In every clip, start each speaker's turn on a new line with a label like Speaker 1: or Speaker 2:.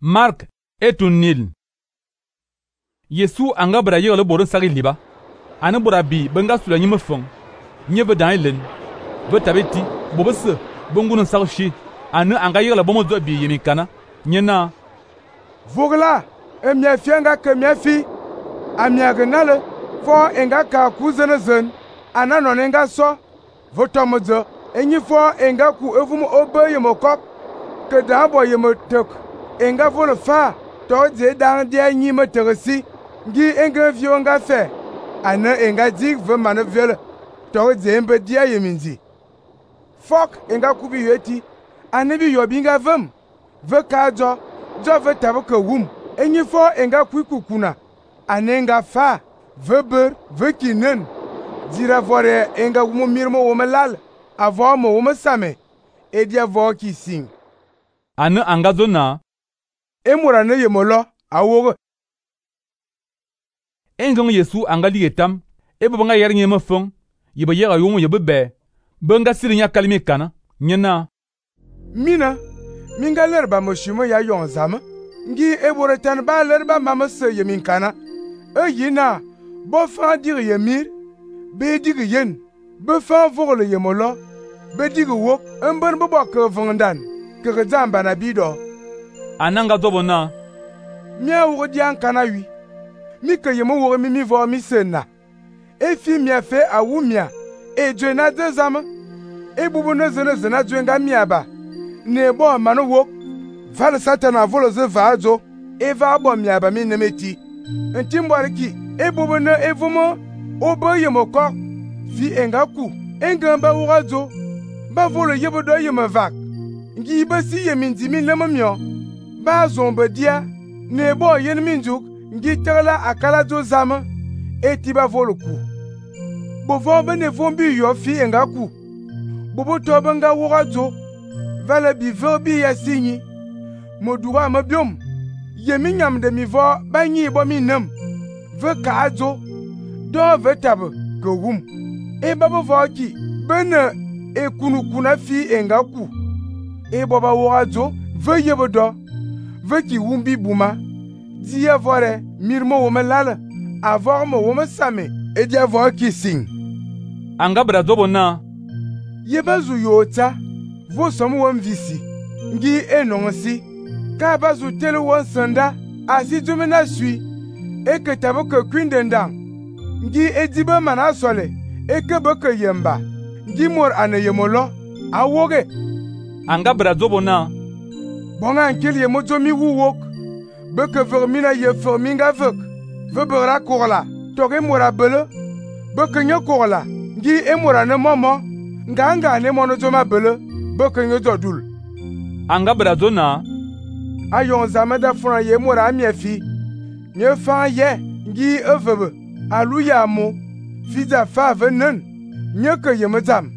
Speaker 1: Mark etun nil. Yesu anga bra yele borin sagi liba. Ane bora bi benga sula nyime fong. Nye ve dan elen. Ve tabeti bobese bongunun sagshi. Ane anga yele bomo zo bi yemi kana. Nyena
Speaker 2: Vogla emia fianga ke mia fi. Amia genale fo enga ka kuzene zen. Ana non enga so. Votomozo enyi fo enga ku evumo obe yemokok. Ke da bo yemotok. Enga vole fa to je dan dia nyi me teresi ngi enga vio nga fe ana enga dig ve mane vele to je embe dia yeminzi fok enga kubi yeti ana bi yobi nga vem ve ka jo ve tabe ke wum enyi fo enga kuikukuna ana enga fa ve ber ve kinen dira vore enga wumo mirmo wo melal avo mo wo mesame e dia vo ki sing
Speaker 1: ane anga zona
Speaker 2: emura ne yemolo awoge
Speaker 1: engong Yesu anga ligetam ebe banga yer nyema fong yibe yega yomo yebe be benga sirinya kalmi kana nyena
Speaker 2: mina minga lerba moshimo ya yonzama ngi ebore tan ba lerba mamase yemin kana yina bo fa dir yemir be dig yen be fa vogle yemolo be dig wok emben bo ke vondan ke zamba na bido
Speaker 1: ananga dobona
Speaker 2: mia wo dian kana wi mi ke yemo wo mi vo mi sena e fi mia fe awu mia e jena de zama e bubu ne zena jwenga mia ba ne bo manu wo val satana volo ze vazo e va bo mia ba mi nemeti ntimboriki e bubu ne evumo obo yemo ko fi engaku engamba wo ba volo yebo do yemo vak ngi basi yeminzi mi lemamio ba zombe dia ne bo yen minjuk ngi tela akala zo zama etiba voluku bo vombe ne vombi yo fi engaku bobo to banga wogazo vale bi verbi ya sinyi modura mabiom yemi nyam de mi vo banyi bo mi nam ve kaazo do ve tab go wum e babo voki bene e kunukuna fi engaku e boba wogazo ve yebodo veki wumbi buma dia vore mirmo wo melala avor mo wo mesame e dia vor kissing
Speaker 1: anga brazobo na
Speaker 2: yebazu yota vo somu won visi ngi enonsi ka bazu tele won sanda asi jumena sui e ke tabo ke kwindendang ngi ediba mana sole e ke boke yemba ngi mor ane yemolo awoge
Speaker 1: anga brazobo na
Speaker 2: bonga nkeli ye mojo mi wuwok beke vermina ye verminga vek vebera korla toge mora bele beke nye korla ngi emora ne momo nganga ne mono joma bele beke nye jodul
Speaker 1: anga brazona
Speaker 2: ayon zameda funa ye mora amiefi nye fa ye ngi evebe aluya mo fida fa venen nye ke ye medam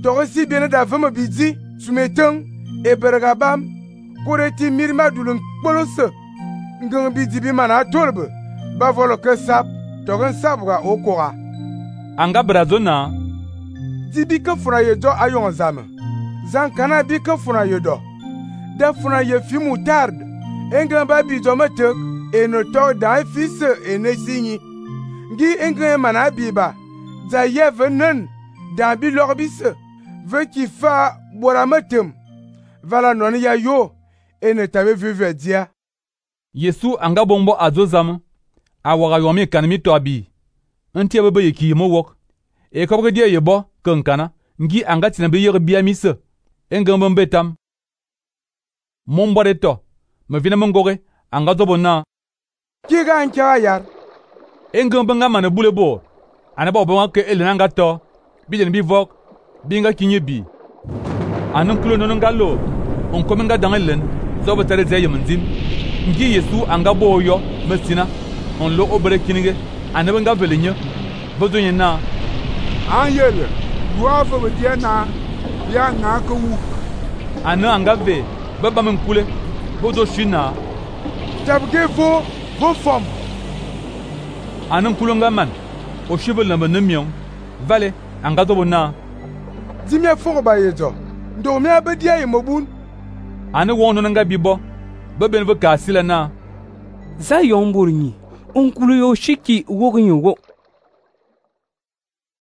Speaker 2: toge si biene da veme bidi sumeteng e bergabam koreti mirma dulun kpolose ngang bi dibi mana tolbe ba volo ke sap togen sabga okora
Speaker 1: anga brazona
Speaker 2: dibi ke funa ye do ayon zame zan kana bi ke funa ye do da funa ye fi mutard engan ba bi do metek e no to da fils e ne sinyi ngi engan mana bi ba za ye venen da bi lorbise ve ki fa bora metem vala non ya yo ene tabe vive dia
Speaker 1: Yesu anga bombo azozam awaga yomi kanmi to abi ntia bebe yeki mo wok e ko dia yebo kankana ngi anga tina be yeri bia mise engamba betam mombore to me vina mongoge anga dobona
Speaker 2: kiga ancha yar
Speaker 1: engamba ngama na bulebo ana ba bo ke elena nga to bijen bi vok binga kinye bi anan kulo non ngalo on komenga dangelen zobe tere zeye munzim ngi Yesu anga boyo mesina on lo obere kinige anabe nga velenye bozo nyena
Speaker 2: anyele duava be dia na ya na ko wu
Speaker 1: ana anga ve baba men kule bozo shina
Speaker 2: tabge vo fom
Speaker 1: anan kulo ngaman o shibel na menemion vale anga dobona
Speaker 2: dimia fo ba yejo ndo mi abedia ye mobun
Speaker 1: ane wono nga bibo Be ben ve ka sila na.
Speaker 3: Za yong bur nyi, onkulu yo shiki wog nyi wo.